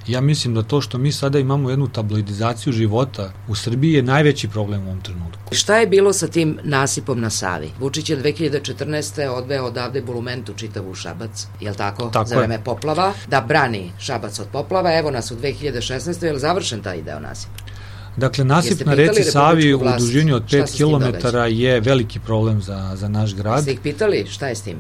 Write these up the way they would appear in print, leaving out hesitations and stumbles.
Ja mislim da to što mi sada imamo jednu tabloidizaciju života u Srbiji je najveći problem u ovom trenutku. Šta je bilo sa tim nasipom na Savi? Vučić je 2014. odveo odavde bulumentu čitavu Šabac, jel tako? Za vreme poplava, da brani Šabac od poplava. Evo nas u 2016. Je li završen taj deo nasipa? Dakle, nasip na reci Savi u dužini od 5 km je veliki problem za naš grad. Ste ih pitali šta je s tim?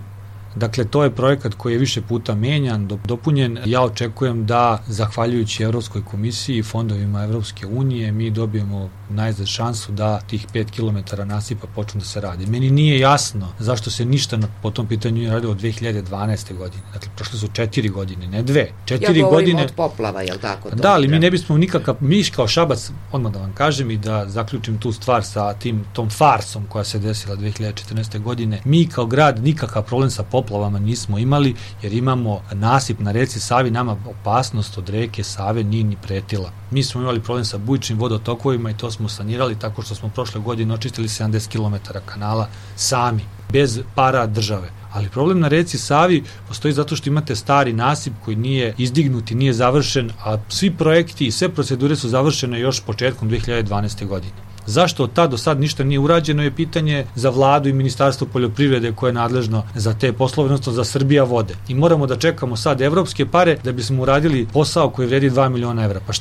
Dakle, to je projekat koji je više puta menjan, dopunjen. Ja očekujem da, zahvaljujući Evropskoj komisiji i fondovima Evropske unije, mi dobijemo najzad šansu da tih 5 km nasipa počnu da se radi. Meni nije jasno zašto se ništa po tom pitanju nije radilo od 2012. godine. Dakle, prošle su 4 godine, ne 2. 4 ja godine od poplava, je li tako? Da, ali mi ne bismo nikakav, mi kao Šabac, odmah da vam kažem i da zaključim tu stvar sa tom farsom koja se desila 2014. godine, mi kao grad nikakav problem sa poplavama nismo imali, jer imamo nasip na reci Savi, nama opasnost od reke Save nije ni pretila. Mi smo imali problem sa bujičnim vodotokovima i to smo sanirali tako što smo prošle godine očistili 70 km kanala sami, bez para države. Ali problem na reci Savi postoji zato što imate stari nasip koji nije izdignut i nije završen, a svi projekti i sve procedure su završene još početkom 2012. godine. Zašto od tad do sad ništa nije urađeno je pitanje za vladu i Ministarstvo poljoprivrede koje je nadležno za te poslove, odnosno za Srbija vode. I moramo da čekamo sad evropske pare da bismo uradili posao koji vredi 2 miliona evra. Pa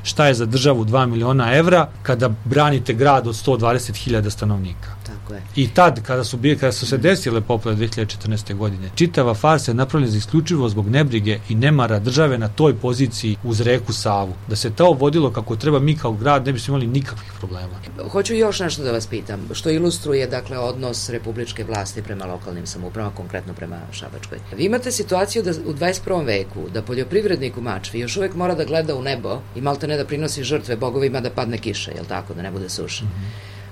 šta je za državu 2 miliona evra kada branite grad od 120.000 stanovnika? Tako je. I tad, kada su se desile poplave 2014. godine, čitava farsa je napravljena isključivo zbog nebrige i nemara države na toj poziciji uz reku Savu. Da se to vodilo kako treba, mi kao grad ne bismo imali nikakvih problema. Hoću još nešto da vas pitam, što ilustruje, dakle, odnos republičke vlasti prema lokalnim samoupravama, konkretno prema Šabačkoj. Vi imate situaciju da u 21. veku, da poljoprivrednik u Mačvi još uvek mora da gleda u nebo i malte ne da prinosi žrtve bogovima da padne kiša, jel tako, da ne bude suša.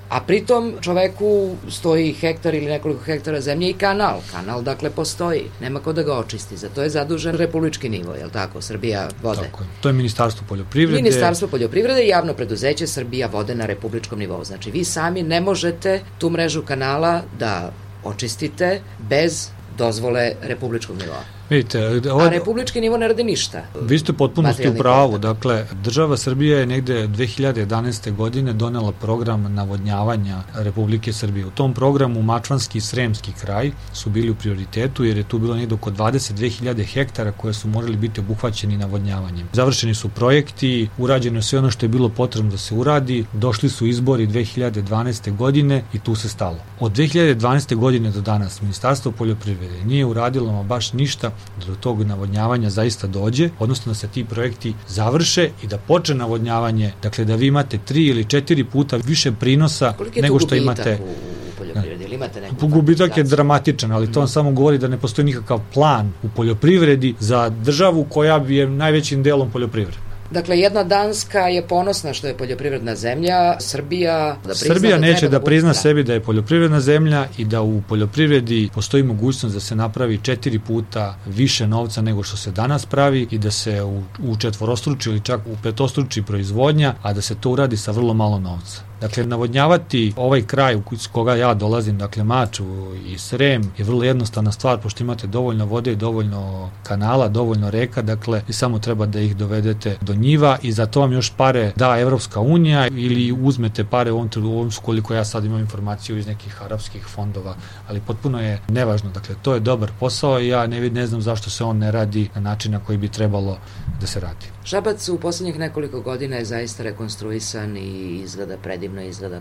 A pritom čoveku stoji hektar ili nekoliko hektara zemlje i kanal. Kanal, dakle, postoji. Nema ko da ga očisti. Za to je zadužen republički nivo, je li tako? Srbija vode. Tako je. To je Ministarstvo poljoprivrede. Ministarstvo poljoprivrede i javno preduzeće Srbija vode na republičkom nivou. Znači, vi sami ne možete tu mrežu kanala da očistite bez dozvole republičkog nivoa. Vidite, a republički nivo ne radi ništa. Vi ste potpuno u pravu. Dakle, država Srbije je negde 2011. godine donela program navodnjavanja Republike Srbije. U tom programu Mačvanski i Sremski kraj su bili u prioritetu, jer je tu bilo negde oko 22.000 hektara koje su morali biti obuhvaćeni navodnjavanjem. Završeni su projekti, urađeno je sve ono što je bilo potrebno da se uradi, došli su izbori 2012. godine i tu se stalo. Od 2012. godine do danas Ministarstvo poljoprivrede nije uradilo baš ništa da do tog navodnjavanja zaista dođe, odnosno da se ti projekti završe i da počne navodnjavanje, dakle da vi imate 3 ili 4 puta više prinosa nego što imate. U poljoprivredi, ili imate neku? Gubitak je dramatičan, ali to vam samo govori da ne postoji nikakav plan u poljoprivredi za državu koja je najvećim delom poljoprivreda. Dakle, jedna Danska je ponosna što je poljoprivredna zemlja, Srbija neće da prizna sebi da je poljoprivredna zemlja i da u poljoprivredi postoji mogućnost da se napravi 4 puta više novca nego što se danas pravi i da se učetvorostruči ili čak u petostruči proizvodnja, a da se to uradi sa vrlo malo novca. Dakle, navodnjavati ovaj kraj iz koga ja dolazim, dakle Mačvu i Srem, je vrlo jednostavna stvar, pošto imate dovoljno vode, dovoljno kanala, dovoljno reka, dakle, i samo treba da ih dovedete do njiva i za to vam još pare da Evropska unija ili uzmete pare u ovom koliko ja sad imam informaciju iz nekih arapskih fondova, ali potpuno je nevažno. Dakle, to je dobar posao i ja ne znam zašto se on ne radi na način na koji bi trebalo da se radi. Šabac u poslednjih nekoliko godina je zaista rekonstruisan i izgleda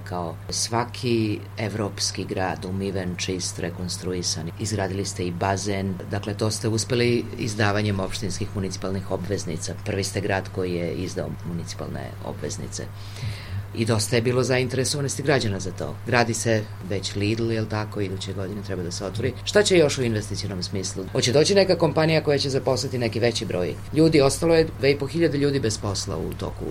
kao svaki evropski grad, umiven, čist, rekonstruisan. Izgradili ste i bazen, dakle to ste uspeli izdavanjem opštinskih municipalnih obveznica. Prvi ste grad koji je izdao municipalne obveznice. I dosta je bilo zainteresovanosti građana za to. Gradi se već Lidl, je li tako, iduće godine treba da se otvori. Šta će još u investicionom smislu? Hoće doći neka kompanija koja će zaposliti neki veći broj ljudi. Ostalo je 2.500 ljudi bez posla u toku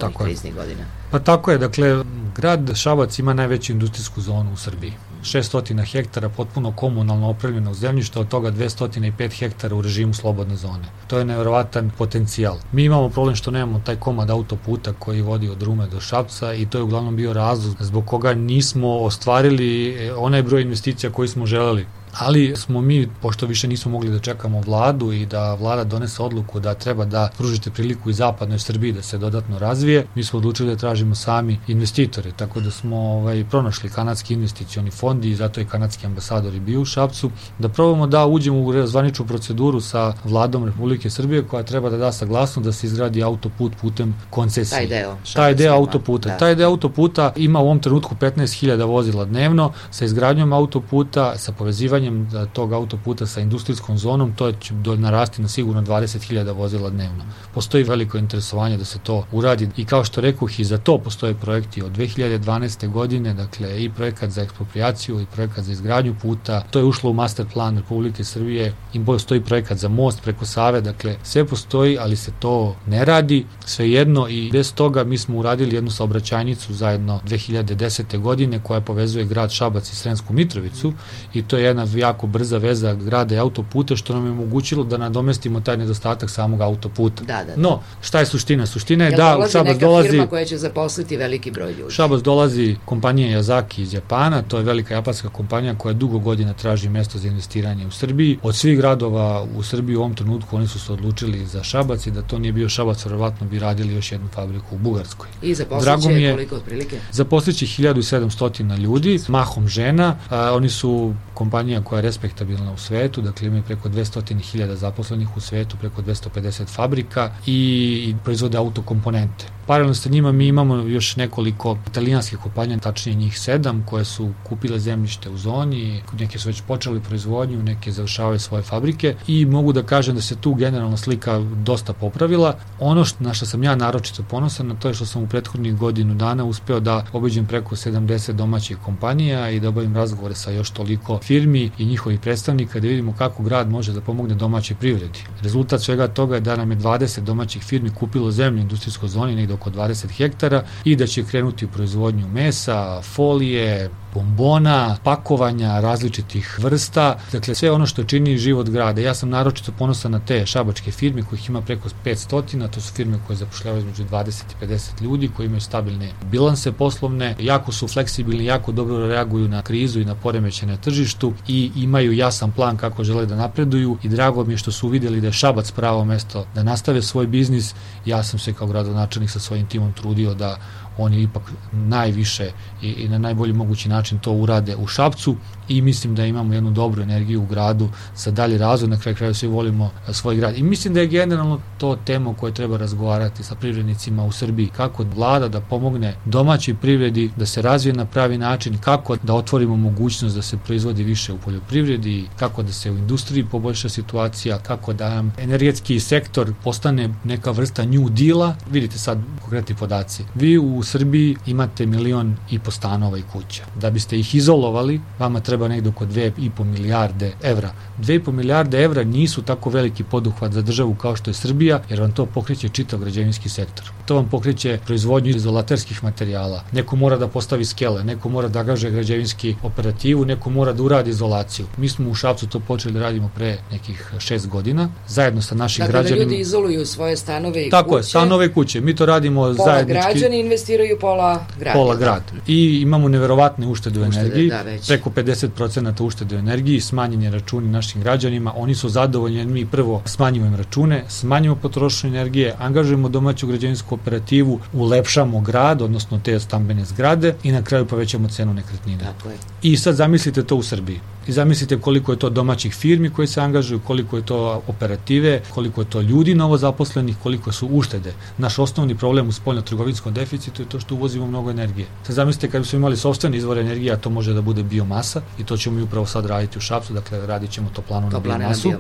ovih kriznih godina. Pa tako je, dakle, grad Šabac ima najveću industrijsku zonu u Srbiji. 600 hektara potpuno komunalno opremljenog zemljišta, od toga 205 hektara u režimu slobodne zone. To je nevjerovatan potencijal. Mi imamo problem što nemamo taj komad autoputa koji vodi od Rume do Šapca i to je uglavnom bio razlog zbog koga nismo ostvarili onaj broj investicija koji smo želeli. ali smo mi, pošto više nismo mogli da čekamo vladu i da vlada donese odluku da treba da pružite priliku i zapadnoj Srbiji da se dodatno razvije, mi smo odlučili da tražimo sami investitore, tako da smo pronašli kanadski investicioni fond i zato je kanadski ambasador i bio u Šapcu, da probamo da uđemo u zvaničnu proceduru sa vladom Republike Srbije koja treba da da saglasnost da se izgradi autoput putem koncesije. Taj deo autoputa. Da. Taj deo autoputa ima u ovom trenutku 15.000 vozila dnevno, sa izgradnjom autoputa, sa povezivanjem tog autoputa sa industrijskom zonom, to će narasti na sigurno 20.000 vozila dnevno. Postoji veliko interesovanje da se to uradi i kao što rekoh, i za to postoje projekti od 2012. godine, dakle i projekat za eksproprijaciju i projekat za izgradnju puta, to je ušlo u master plan Republike Srbije, i postoji projekat za most preko Save, dakle sve postoji, ali se to ne radi, svejedno, i bez toga mi smo uradili jednu saobraćajnicu zajedno 2010. godine koja povezuje grad Šabac i Sremsku Mitrovicu, i to je jedna jako brza veza grada i autoputa, što nam je omogućilo da nadomestimo taj nedostatak samog autoputa. Da. No, šta je suština? Suština je da u Šabac dolazi firma koja će zaposliti veliki broj ljudi. U Šabac dolazi kompanija Yazaki iz Japana, to je velika japanska kompanija koja dugo godina traži mesto za investiranje u Srbiji. Od svih gradova u Srbiji u ovom trenutku oni su se odlučili za Šabac, i da to nije bio Šabac, verovatno bi radili još jednu fabriku u Bugarskoj. I zaposliće koliko otprilike? Zaposliće 1700 ljudi, mahom žena. Oni su kompanija koja je respektabilna u svetu, dakle imaju preko 200.000 zaposlenih u svetu, preko 250 fabrika i proizvode autokomponente. Paralelno sa njima mi imamo još nekoliko italijanskih kompanija, tačnije njih 7, koje su kupile zemljište u zoni, neke su već počeli proizvodnju, neke završavaju svoje fabrike, i mogu da kažem da se tu generalna slika dosta popravila. Ono na što sam ja naročito ponosan, na to je što sam u prethodnih godinu dana uspeo da obiđem preko 70 domaćih kompanija i da obavim razgovore sa još toliko firmi i njihovih predstavnika, da vidimo kako grad može da pomogne domaćoj privredi. Rezultat svega toga je da nam je 20 domaćih firmi kupilo zemlju u industrijskoj zoni, negde oko 20 hektara, i da će krenuti u proizvodnju mesa, folije, bombona, pakovanja različitih vrsta, dakle sve ono što čini život grada. Ja sam naročito ponosan na te šabačke firme kojih ima preko 500, to su firme koje zapošljavaju između 20 i 50 ljudi, koji imaju stabilne bilanse poslovne, jako su fleksibilni, jako dobro reaguju na krizu i na poremećaj na tržištu i imaju jasan plan kako žele da napreduju, i drago mi je što su uvideli da je Šabac pravo mesto da nastave svoj biznis. Ja sam se kao gradonačelnik sa svojim timom trudio da oni ipak najviše i na najbolji mogući način to urade u Šapcu, i mislim da imamo jednu dobru energiju u gradu za dalji razvoj. Na kraju svi volimo svoj grad, i mislim da je generalno to tema o kojoj treba razgovarati sa privrednicima u Srbiji, kako vlada da pomogne domaćoj privredi da se razvije na pravi način, kako da otvorimo mogućnost da se proizvodi više u poljoprivredi, kako da se u industriji poboljša situacija, kako da nam energetski sektor postane neka vrsta New Deala. Vidite sad konkretni podaci. Vi u Srbiji imate 1,5 miliona stanova i kuća. Da biste ih izolovali, vama treba negde oko 2,5 milijarde evra. 2,5 milijarde evra nisu tako veliki poduhvat za državu kao što je Srbija, jer vam to pokreće čitav građevinski sektor. To vam pokreće proizvodnju izolaterskih materijala. Neko mora da postavi skele, neko mora da angažuje građevinski operativu, neko mora da uradi izolaciju. Mi smo u Šapcu to počeli da radimo pre nekih 6 godina, zajedno sa našim građanima. Dakle, da ljudi izoluju svoje stanove i tako kuće. Tako je, stanove i kuće. Mi to radimo zajednički. Pola građani investiraju, pola grad. Pola grad. I imamo neverovatne uštede u energiji, preko 50% uštede u energiji, smanjeni računi našim građanima, oni su zadovoljni, jer mi prvo smanjujemo račune, smanjujemo potrošnju energije, angažujemo domaću građevinsku operativu, ulepšamo grad, odnosno te stambene zgrade, i na kraju povećamo cenu nekretnine. Tako je. I sad zamislite to u Srbiji. I zamislite koliko je to domaćih firmi koji se angažuju, koliko je to operative, koliko je to ljudi novo zaposlenih, koliko su uštede. Naš osnovni problem u spoljno-trgovinskom deficitu je to što uvozimo mnogo energije. Sad zamislite kad smo imali sopstvene izvore energije, a to može da bude biomasa, i to ćemo i upravo sad raditi u Šapcu, dakle radit ćemo toplanu na biomasu.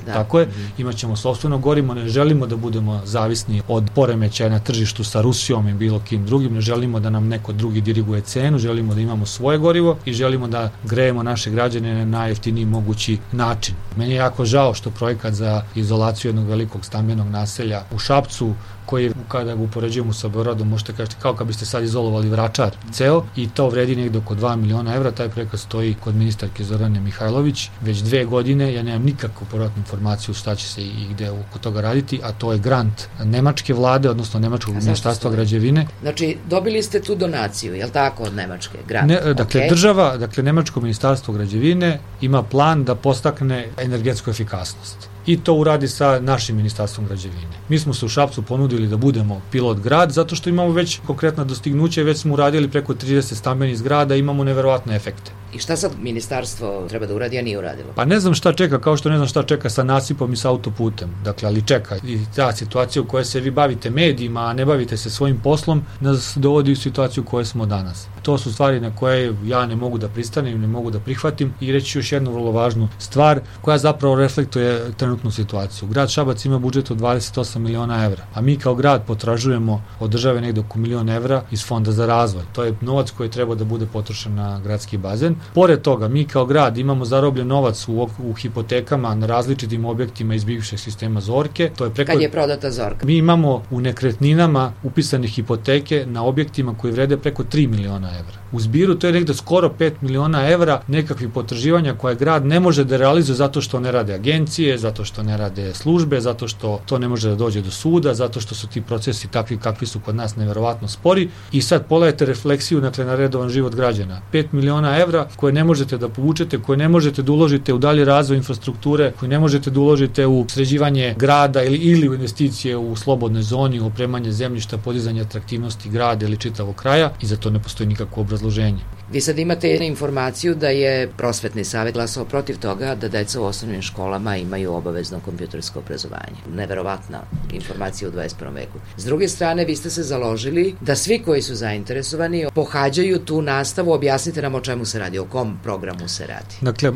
Da. Tako je, imat ćemo sopstveno gorivo, ne želimo da budemo zavisni od poremećaja na tržištu sa Rusijom i bilo kim drugim, ne želimo da nam neko drugi diriguje cenu, želimo da imamo svoje gorivo i želimo da grejemo naše građane na najjeftiniji mogući način. Meni je jako žao što projekat za izolaciju jednog velikog stambenog naselja u Šapcu koji kada ga upoređujemo sa Beogradom, možete kažete kao kad biste sad izolovali Vračar ceo i to vredi negde oko 2 miliona evra. Taj projekat stoji kod ministarke Zorane Mihajlović već 2 godine. Ja nemam nikakvu povratnu informaciju šta će se i gde oko toga raditi, a to je grant nemačke vlade, odnosno nemačkog ministarstva građevine. Znači, dobili ste tu donaciju, je li tako, od Nemačke? Grant. Dakle, država, nemačko ministarstvo građevine ima plan da postakne energetsku efikasnost. I to uradi sa našim ministarstvom građevine. Mi smo se u Šapcu ponudili da budemo pilot grad, zato što imamo već konkretna dostignuća i već smo uradili preko 30 stambenih zgrada i imamo neverovatne efekte. I šta sad ministarstvo treba da uradi, a nije uradilo? Pa ne znam šta čeka, kao što ne znam šta čeka sa nasipom i sa autoputem. Dakle, ali čeka. I ta situacija u kojoj se vi bavite medijima, a ne bavite se svojim poslom, nas dovodi u situaciju u kojoj smo danas. To su stvari na koje ja ne mogu da pristanem, ne mogu da prihvatim i reći ću još jednu vrlo važnu stvar koja zapravo reflektuje trenutnu situaciju. Grad Šabac ima budžet od 28 miliona evra, a mi kao grad potražujemo od države negde oko milion evra iz Fonda za razvoj. To je novac koji treba da bude potrošen na gradski bazen. Pored toga, mi kao grad imamo zarobljen novac u hipotekama na različitim objektima iz bivšeg sistema Zorke. To je Kad je prodata Zorka? Mi imamo u nekretninama upisane hipoteke na objektima koji vrede preko 3 miliona evra. U zbiru to je negde skoro 5 miliona evra nekakvih potraživanja koje grad ne može da realizuje zato što ne rade agencije, zato što ne rade službe, zato što to ne može da dođe do suda, zato što su ti procesi takvi kakvi su kod nas neverovatno spori. I sad pogledajte refleksiju na redovan život građana. 5 miliona evra koje ne možete da povučete, koje ne možete da uložite u dalji razvoj infrastrukture, koje ne možete da uložite u sređivanje grada ili u investicije u slobodnoj zoni, u opremanje zemljišta, podizanje atraktivnosti grada ili čitavog kraja i za to ne postoji nikakvo obrazloženje. Vi sad imate informaciju da je prosvetni savjet glasao protiv toga da deca u osnovnim školama imaju obavezno kompjutersko obrazovanje. Neverovatna informacija u 21. veku. S druge strane, vi ste se založili da svi koji su zainteresovani pohađaju tu nastavu. Objasnite nam o čemu se radi, o kom programu se radi. Dakle,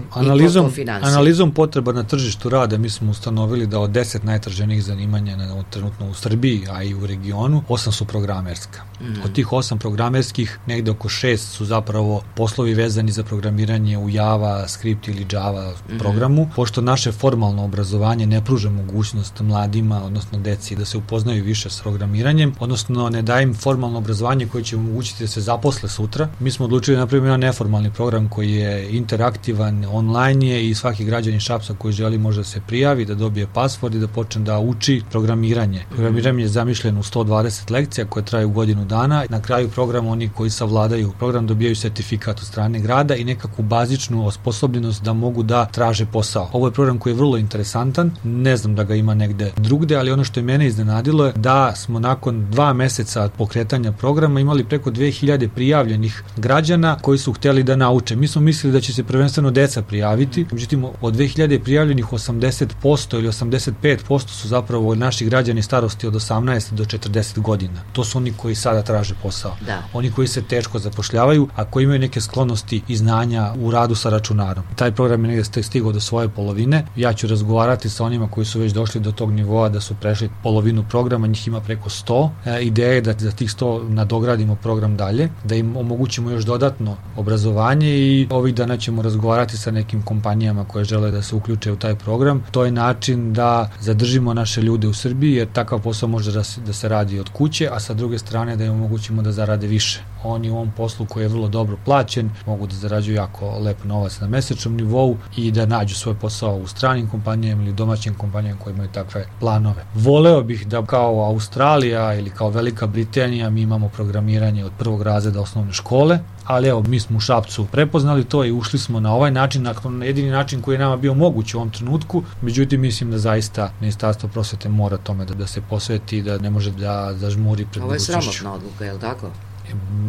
analizom potreba na tržištu rada mi smo ustanovili da od 10 najtraženijih zanimanja trenutno u Srbiji, a i u regionu, 8 su programerska. Od tih 8 programerskih, negde oko 6 su zapravo poslovi vezani za programiranje u Java, Script ili Java programu, pošto naše formalno obrazovanje ne pruža mogućnost mladima, odnosno deci, da se upoznaju više s programiranjem, odnosno ne daje im formalno obrazovanje koje će omogućiti da se zaposle sutra. Mi smo odlučili da napravimo jedan neformalni program koji je interaktivan, online je i svaki građanin Šapca koji želi može da se prijavi, da dobije pasvord i da počne da uči programiranje. Programiranje je zamišljeno u 120 lekcija koje traju godinu dana. Na kraju programa oni koji savladaju program dobijaju sertifikat od strane grada i nekakvu bazičnu osposobljenost da mogu da traže posao. Ovo je program koji je vrlo interesantan, ne znam da ga ima negde drugde, ali ono što je mene iznenadilo je da smo nakon 2 meseca pokretanja programa imali preko 2000 prijavljenih građana koji su hteli da nauče. Mi smo mislili da će se prvenstveno deca prijaviti, međutim od 2000 prijavljenih 80% ili 85% su zapravo naši građani starosti od 18 do 40 godina. To su oni koji sada traže posao. Da. Oni koji se teško zapošljavaju, a koji imaju neke sklonosti i znanja u radu sa računarom. Taj program je negde stigao do svoje polovine. Ja ću razgovarati sa onima koji su već došli do tog nivoa da su prešli polovinu programa, njih ima preko 100. Ideja je da za tih 100 nadogradimo program dalje, da im omogućimo još dodatno obrazovanje i ovih dana ćemo razgovarati sa nekim kompanijama koje žele da se uključe u taj program. To je način da zadržimo naše ljude u Srbiji, jer takav posao može da se radi od kuće, a sa druge strane da im omogućimo da zarade više. Oni u ovom poslu koji je vrlo dobro plaćen, mogu da zarađuju jako lep novac na mesečnom nivou i da nađu svoj posao u stranim kompanijama ili domaćim kompanijama koje imaju takve planove. Voleo bih da kao Australija ili kao Velika Britanija mi imamo programiranje od 1. razreda osnovne škole, ali evo, mi smo u Šapcu prepoznali to i ušli smo na ovaj način, na jedini način koji je nama bio moguć u ovom trenutku, međutim mislim da zaista Ministarstvo prosvete mora tome da se posveti i da ne može da zažmuri pred budućnošću. Ovo je sramotna odluka, je li tako?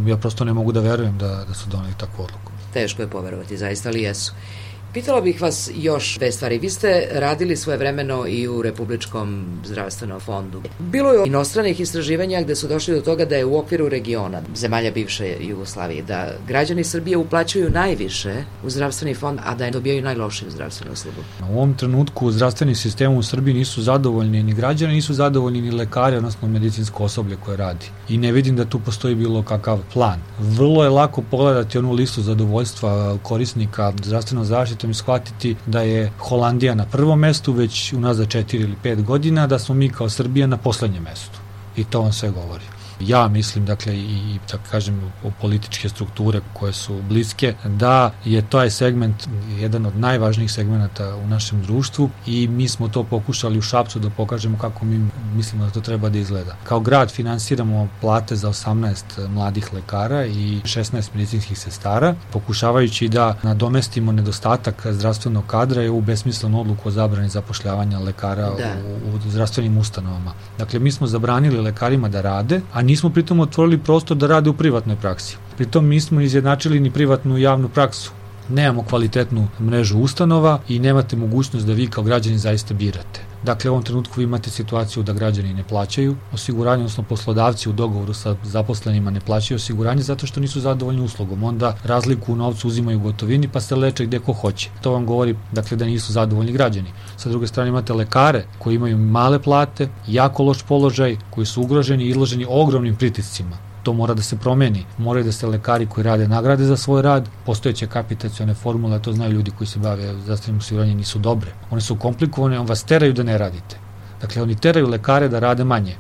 Ja prosto ne mogu da verujem da su doneli takvu odluku. Teško je poverovati, zaista li jesu. Pitala bih vas još 2 stvari. Vi ste radili svojevremeno i u Republičkom zdravstvenom fondu. Bilo je inostranih istraživanja gde su došli do toga da je u okviru regiona, zemalja bivše Jugoslavije, da građani Srbije uplaćuju najviše u zdravstveni fond, a da dobijaju najlošiju zdravstvenu uslugu. U ovom trenutku zdravstveni sistem u Srbiji nisu zadovoljni ni građani, nisu zadovoljni ni lekari, odnosno medicinsko osoblje koje radi. I ne vidim da tu postoji bilo kakav plan. Vrlo je lako pogledati onu listu zadovoljstva korisnika zdravstvenog zaštite i shvatiti da je Holandija na prvom mestu već unazad 4 ili 5 godina, da smo mi kao Srbija na poslednjem mestu. I to vam sve govori. Ja mislim, dakle, i tako kažem, o političke strukture koje su bliske, da je taj segment jedan od najvažnijih segmenata u našem društvu i mi smo to pokušali u Šapcu da pokažemo kako mi mislimo da to treba da izgleda. Kao grad finansiramo plate za 18 mladih lekara i 16 medicinskih sestara, pokušavajući da nadomestimo nedostatak zdravstvenog kadra i ovu besmislenu odluku o zabrani zapošljavanja lekara u zdravstvenim ustanovama. Dakle, mi smo zabranili lekarima da rade, a nismo pritom otvorili prostor da rade u privatnoj praksi. Pritom nismo izjednačili ni privatnu i javnu praksu. Nemamo kvalitetnu mrežu ustanova i nemate mogućnost da vi kao građani zaista birate. Dakle, u ovom trenutku vi imate situaciju da građani ne plaćaju osiguranje, odnosno poslodavci u dogovoru sa zaposlenima ne plaćaju osiguranje zato što nisu zadovoljni uslugom. Onda razliku u novcu uzimaju u gotovini pa se leče gde ko hoće. To vam govori, dakle, da nisu zadovoljni građani. Sa druge strane imate lekare koji imaju male plate, jako loš položaj, koji su ugroženi i izloženi ogromnim pritiscima. To mora da se promeni. Moraju da se lekari koji rade nagrade za svoj rad. Postojeće kapitacione formule, to znaju ljudi koji se bave zdravstvenim osiguranjem, nisu dobre. One su komplikovane, on vas teraju da ne radite. Dakle, oni teraju lekare da rade manje.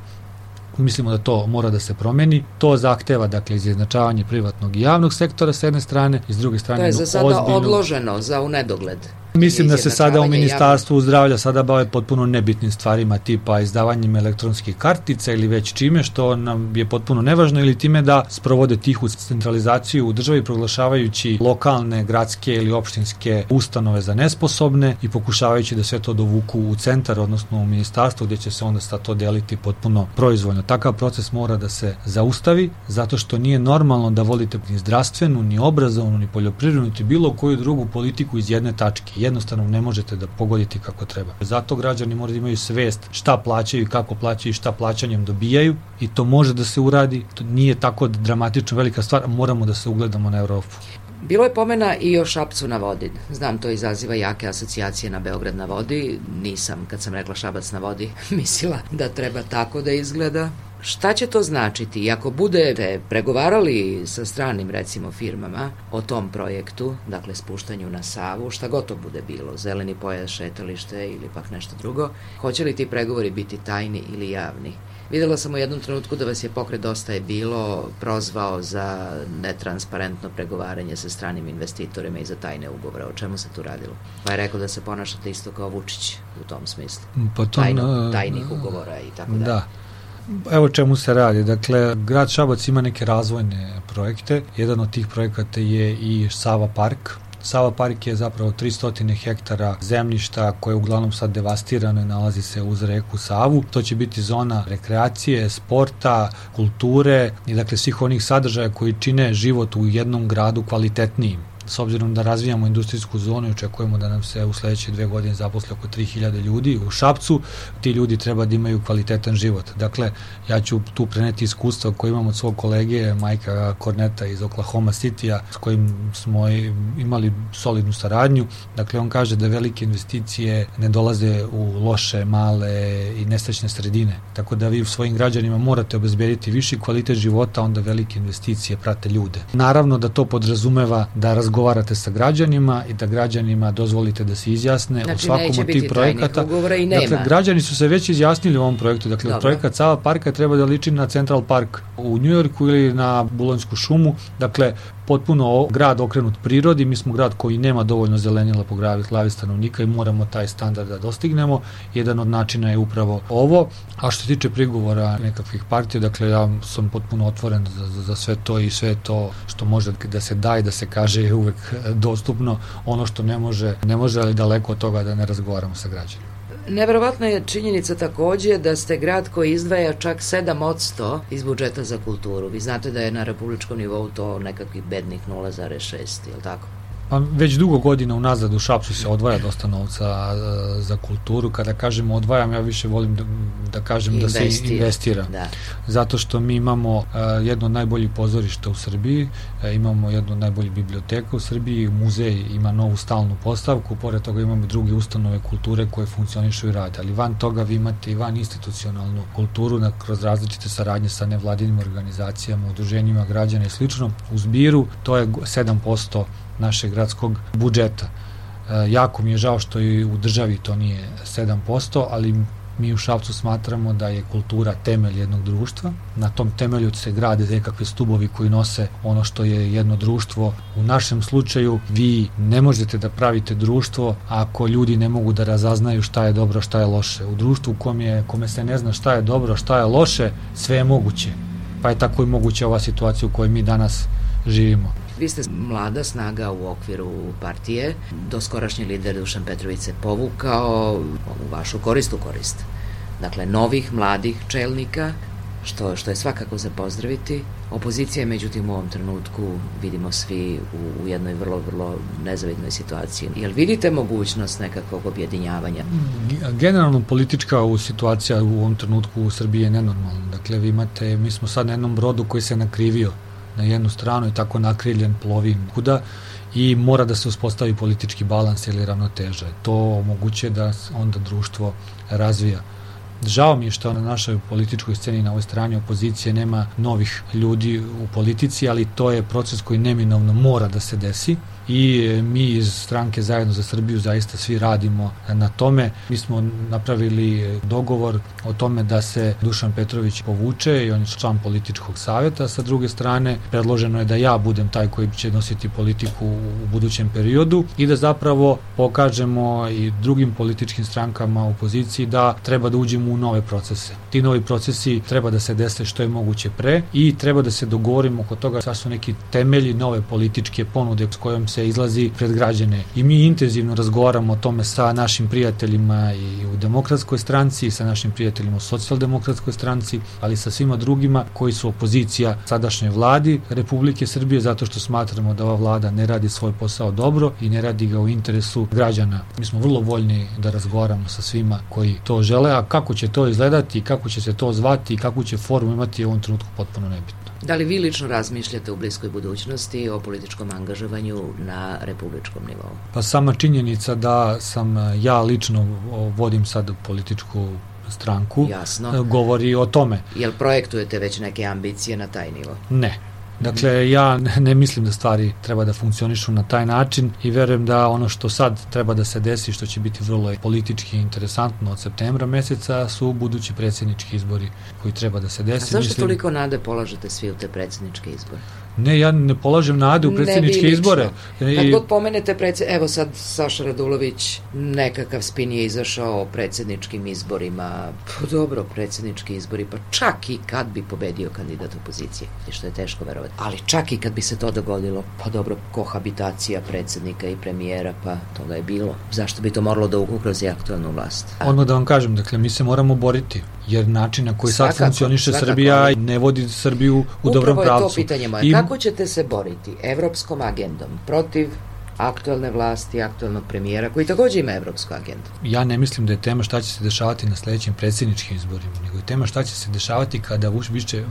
Mislimo da to mora da se promeni. To zahteva, dakle, izjednačavanje privatnog i javnog sektora s jedne strane i s druge strane to je za sada odloženo za u nedogled. Mislim da se sada u Ministarstvu zdravlja sada bave potpuno nebitnim stvarima tipa izdavanjem elektronskih kartica ili već čime što nam je potpuno nevažno ili time da sprovode tihu centralizaciju u državi proglašavajući lokalne, gradske ili opštinske ustanove za nesposobne i pokušavajući da sve to dovuku u centar, odnosno u ministarstvo gdje će se onda sad to deliti potpuno proizvoljno. Takav proces mora da se zaustavi zato što nije normalno da vodite ni zdravstvenu, ni obrazovnu, ni poljoprivrednu, ni bilo koju drugu politiku iz jedne tačke. Jednostavno ne možete da pogodite kako treba. Zato građani moraju da imaju svest šta plaćaju i kako plaćaju i šta plaćanjem dobijaju i to može da se uradi. To nije tako dramatično velika stvar, moramo da se ugledamo na Evropu. Bilo je pomena i o Šapcu na vodi. Znam, to izaziva jake asocijacije na Beograd na vodi. Nisam, kad sam rekla Šabac na vodi, mislila da treba tako da izgleda. Šta će to značiti? I ako budete pregovarali sa stranim, recimo, firmama o tom projektu, dakle spuštanju na Savu, šta god to bude bilo, zeleni pojas, šetalište ili pak nešto drugo, hoće li ti pregovori biti tajni ili javni? Videla sam u jednom trenutku da vas je pokret Dosta je bilo prozvao za netransparentno pregovaranje sa stranim investitorima i za tajne ugovore. O čemu se tu radilo? Pa je rekao da se ponašate isto kao Vučić u tom smislu. Tajnih ugovora i tako dalje. Da. Evo čemu se radi. Dakle, grad Šabac ima neke razvojne projekte. Jedan od tih projekata je i Sava park. Sava park je zapravo 300 hektara zemljišta koje je uglavnom sad devastirano i nalazi se uz reku Savu. To će biti zona rekreacije, sporta, kulture i dakle svih onih sadržaja koji čine život u jednom gradu kvalitetnijim. S obzirom da razvijamo industrijsku zonu i očekujemo da nam se u sledeće 2 godine zaposle oko 3000 ljudi u Šapcu, ti ljudi treba da imaju kvalitetan život. Dakle, ja ću tu preneti iskustva koje imam od svog kolege Majka Korneta iz Oklahoma City-a s kojim smo imali solidnu saradnju. Dakle, on kaže da velike investicije ne dolaze u loše, male i nesrećne sredine. Tako da vi svojim građanima morate obezbediti viši kvalitet života, onda velike investicije prate ljude. Naravno da to podrazumeva da razgovarate sa građanima i da građanima dozvolite da se izjasne u svakom od tih projekata. Dakle, građani su se već izjasnili u ovom projektu. Dakle, projekat Sava parka treba da liči na Central Park u Njujorku ili na Bulonjsku šumu. Dakle, potpuno grad okrenut prirodi. Mi smo grad koji nema dovoljno zelenila po glavi stanovnika i moramo taj standard da dostignemo. Jedan od načina je upravo ovo. A što se tiče prigovora nekakvih partija, dakle, ja sam potpuno otvoren za sve to i sve to što može da se da i da se kaže je uvek dostupno. Ono što ne može, ali daleko od toga da ne razgovaramo sa građanima. Neverovatna je činjenica takođe da ste grad koji izdvaja čak 7% iz budžeta za kulturu. Vi znate da je na republičkom nivou to nekakvih bednih 0,6, je li tako? Pa već dugo godina unazad u Šapcu se odvaja dosta novca za kulturu. Kada kažemo odvajam, ja više volim da kažem da se investira. Da. Zato što mi imamo jedno od najboljih pozorišta u Srbiji, imamo jedno od najboljih biblioteka u Srbiji, muzej ima novu stalnu postavku, pored toga imamo druge ustanove kulture koje funkcionišu i rade. Ali van toga vi imate i van institucionalnu kulturu kroz različite saradnje sa nevladinim organizacijama, udruženjima građana i slično. U zbiru to je 7% našeg gradskog budžeta. Jako mi je žao što i u državi to nije 7%, ali Mi u Šapcu smatramo da je kultura temelj jednog društva. Na tom temelju se grade nekakve stubovi koji nose ono što je jedno društvo. U našem slučaju vi ne možete da pravite društvo ako ljudi ne mogu da razaznaju šta je dobro, šta je loše. U društvu kome se ne zna šta je dobro, šta je loše, sve je moguće. Pa je tako i moguća ova situacija u kojoj mi danas živimo. Vi ste mlada snaga u okviru partije. Doskorašnji lider Dušan Petrović se povukao u vašu korist. Dakle, novih, mladih čelnika, što je svakako za pozdraviti. Opozicija je, međutim, u ovom trenutku, vidimo svi, u jednoj vrlo, vrlo nezavidnoj situaciji. Jel vidite mogućnost nekakvog objedinjavanja? Generalno politička situacija u ovom trenutku u Srbiji je nenormalna. Dakle, mi smo sad na jednom brodu koji se nakrivio na jednu stranu i tako nakriljen plovi kuda i mora da se uspostavi politički balans ili ravnoteža. To omogućuje da onda društvo razvija. Žao mi je što na našoj političkoj sceni, na ovoj strani opozicije, nema novih ljudi u politici, ali to je proces koji neminovno mora da se desi i mi iz stranke Zajedno za Srbiju zaista svi radimo na tome. Mi smo napravili dogovor o tome da se Dušan Petrović povuče i on je član političkog savjeta. Sa druge strane, predloženo je da ja budem taj koji će nositi politiku u budućem periodu i da zapravo pokažemo i drugim političkim strankama u opoziciji da treba da uđemo u nove procese. Ti novi procesi treba da se dese što je moguće pre i treba da se dogovorimo oko toga šta su neki temelji nove političke ponude s kojom se izlazi pred građane. I mi intenzivno razgovaramo o tome sa našim prijateljima i u Demokratskoj stranci i sa našim prijateljima u Socijaldemokratskoj stranci, ali sa svima drugima koji su opozicija sadašnjoj vladi Republike Srbije, zato što smatramo da ova vlada ne radi svoj posao dobro i ne radi ga u interesu građana. Mi smo vrlo voljni da razgovaramo sa svima koji to žele, a kako će to izgledati, kako će se to zvati i kakvu će formu imati u ovom trenutku potpuno nebitno. Da li vi lično razmišljate u bliskoj budućnosti o političkom angažovanju na republičkom nivou? Pa sama činjenica da sam ja lično vodim sad političku stranku, jasno, govori o tome. Jel projektujete već neke ambicije na taj nivo? Ne. Dakle, ja ne mislim da stvari treba da funkcionišu na taj način i verujem da ono što sad treba da se desi, što će biti vrlo politički interesantno od septembra meseca, su budući predsjednički izbori koji treba da se desi. A zašto toliko nade polažete svi u te predsjedničke izbore? Ne, ja ne polažem nade u predsjedničke izbore. Kad god pomenete evo sad Saša Radulović, nekakav spin je izašao o predsjedničkim izborima. Pa dobro, predsjednički izbori, pa čak i kad bi pobedio kandidat opozicije, što je teško verovati. Ali čak i kad bi se to dogodilo, pa dobro, kohabitacija predsjednika i premijera, pa toga je bilo. Zašto bi to moralo da ugrozi aktualnu vlast? Odmah da vam kažem, dakle, mi se moramo boriti, jer način na koji sad funkcioniše Srbija ne vodi Srbiju u dobrom pravcu. Upravo je to pitanje moje. Kako ćete se boriti evropskom agendom protiv aktualne vlasti, aktualnog premijera, koji također ima evropsku agendu? Ja ne mislim da je tema šta će se dešavati na sledećim predsjedničkim izborima, nego je tema šta će se dešavati kada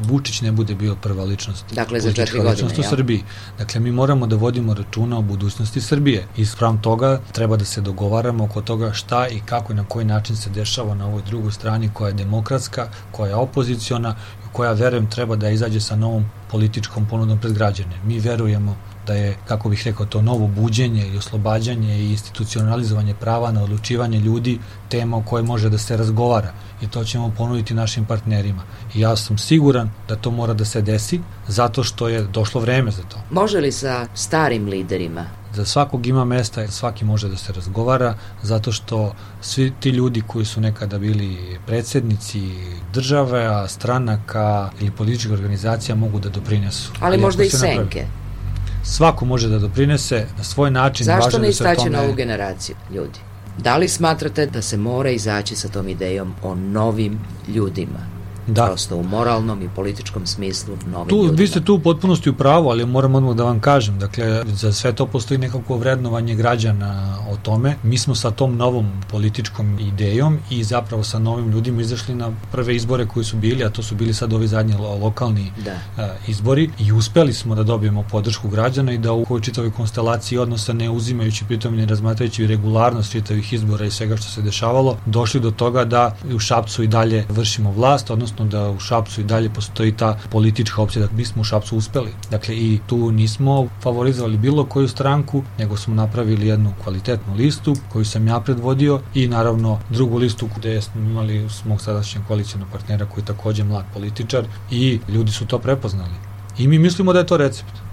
Vučić ne bude bio prva ličnost. Dakle, za 4 godine, u Srbiji. Dakle, mi moramo da vodimo računa o budućnosti Srbije. I spram toga treba da se dogovaramo oko toga šta i kako i na koji način se dešava na ovoj drugoj strani koja je demokratska, koja je opoziciona, koja, verujem, treba da izađe sa novom političkom ponudom pred građane. Mi verujemo da je, kako bih rekao, to novo buđenje i oslobađanje i institucionalizovanje prava na odlučivanje ljudi tema o kojoj može da se razgovara i to ćemo ponuditi našim partnerima. I ja sam siguran da to mora da se desi zato što je došlo vreme za to. Može li sa starim liderima? Za svakog ima mesta, svaki može da se razgovara, zato što svi ti ljudi koji su nekada bili predsjednici države, stranaka ili političkih organizacija mogu da doprinesu. Ali možda i senke. Svako može da doprinese na svoj način. Zašto ne istaći novu generaciju ljudi? Da li smatrate da se mora izaći sa tom idejom o novim ljudima? Da. Prosto u moralnom i političkom smislu novim ljudima. Vi ste tu u potpunosti u pravu, ali moram odmah da vam kažem, dakle, za sve to postoji nekako vrednovanje građana o tome. Mi smo sa tom novom političkom idejom i zapravo sa novim ljudima izašli na prve izbore koji su bili, a to su bili sad ovi zadnji lokalni izbori i uspeli smo da dobijemo podršku građana i da u ovoj čitavoj konstelaciji odnosa, ne uzimajući pritom i ne razmatrajući regularnost čitavih izbora i svega što se dešavalo, došli do toga da u Šapcu i dalje vršimo vlast, odnosno evidentno da u Šapcu i dalje postoji ta politička opcija da mi smo u Šapcu uspeli. Dakle, i tu nismo favorizovali bilo koju stranku, nego smo napravili jednu kvalitetnu listu koju sam ja predvodio i naravno drugu listu gde smo imali mog sadašnjeg koalicijnog partnera koji je takođe mlad političar i ljudi su to prepoznali. I mi mislimo da je to recept.